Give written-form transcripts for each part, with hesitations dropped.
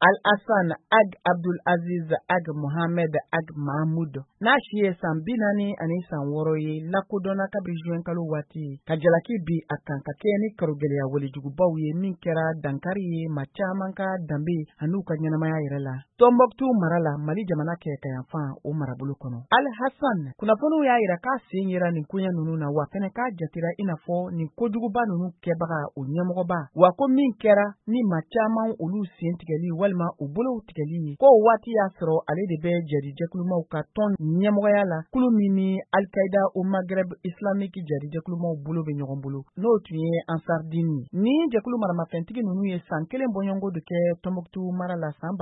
Al-Hassan Ag Abdul Aziz Ag Mohamed Ag Mahmoud, n'a si ye san 46 ye, lakodɔnna kabi juin kalo waati ka jalaki bi a kan ka kɛɲɛ ni karogɛlɛya walejugubaw ye min kɛra dankari ye ma caman ka danbe an'u ka ɲɛnamaya yɛrɛ la Tɔnbɔkutu mara la, Mali jamana kɛɲɛkayanfan, o marabolo kɔnɔ. Al-Hassan, kunnafoniw y'a yira k'a sen yera nin koɲɛ ninnu na, wa fɛnɛ k'a jatera i n'a fɔ nin kojuguba ninnu kɛbaga o ɲɛmɔgɔba, wa ko min kɛra ni ma caman olu sen tigɛli walima u bolow tigɛli ye, ko waati y'a sɔrɔ ale de bɛ jadijɛkulumaw ka tɔn ɲɛmɔgɔya la, kulu min ni Al-Qaïda au Maghreb islamique jadijɛkulumaw bolo bɛ ɲɔgɔn bolo, n'o tun ye Ansardini. Ni jɛkulu maramafɛntigi ninnu ye san kelen bɔɲɔgɔnko de kɛ Tɔnbɔkutu mara la san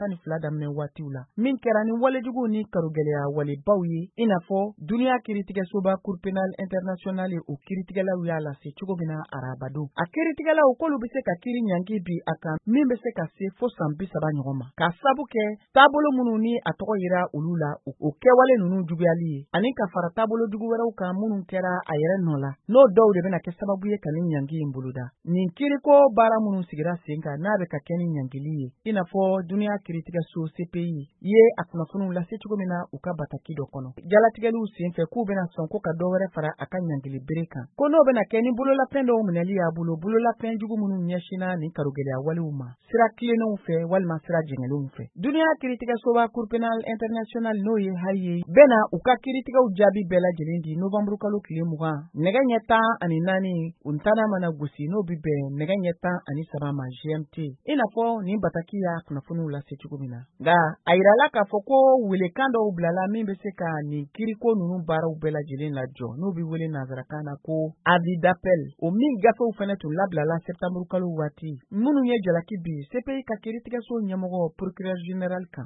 2012 daminɛ waatiw la, min kɛra ni walejuguw ni karogɛlɛya walebaw ye, i n'a fɔ duniya kiiritigɛsoba Cour pénale internationale, o kiiritigɛlaw y'a lase cogo min na arabadon. A kiiritigɛlaw k'olu bɛ se ka kiiri ɲangi bi a kan min bɛ se ka se fo san 30 ɲɔgɔn ma, k'a sabu kɛ taabolo minnu ni a tɔgɔ yira olu la, o kɛwale ninnu juguyali ye, ani ka fara taabolo jugu wɛrɛw kan minnu kɛra a yɛrɛ nɔ la, n'o dɔw de bɛna kɛ sababu ye ka nin ɲangi in boloda. Nin kiiriko baara minnu sigira sen kan, n'a bɛ ka kɛ ni ɲangili ye, i n'a fɔ duniya kiiritigɛso CPI ye a kunnafoniw lase cogo min na u ka bataki dɔ kɔnɔ jalatigɛliw senfɛ, k'u bɛna sɔn ko ka dɔ wɛrɛ fara a ka ɲangili bere kan, ko n'o bɛna kɛ ni bololafɛn dɔw minɛli y'a bolo, bololafɛn jugu minnu ɲɛsinna nin karogɛlɛya walew ma sira tilennenw fɛ walima sira jɛngɛlenw fɛ. Duniya kiiritigɛsoba Cour pénale internationale, n'o ye Haye ye, bɛna u ka kiiritigɛw jaabi bɛɛ lajɛlen di novanburu kalo tile 20, nɛgɛ ɲɛ 14, u ntana mana gosi, n'o bi bɛn nɛgɛ ɲɛ 13 ma GMT, i n'a fɔ nin bataki y'a kunnafoniw lase cogo min na. Nka a yirala k'a fɔ ko welekan dɔw bilala min bɛ se ka nin kiiriko ninnu baaraw bɛɛ lajɛlen lajɔ, n'o bɛ wele nanzarakan na ko avis d'appel, o min gafew fɛnɛ tun labilala septembre kalo waati, minnu ye jalaki bi CPI ka kiiritigɛso ɲɛmɔgɔ, procureur général kan.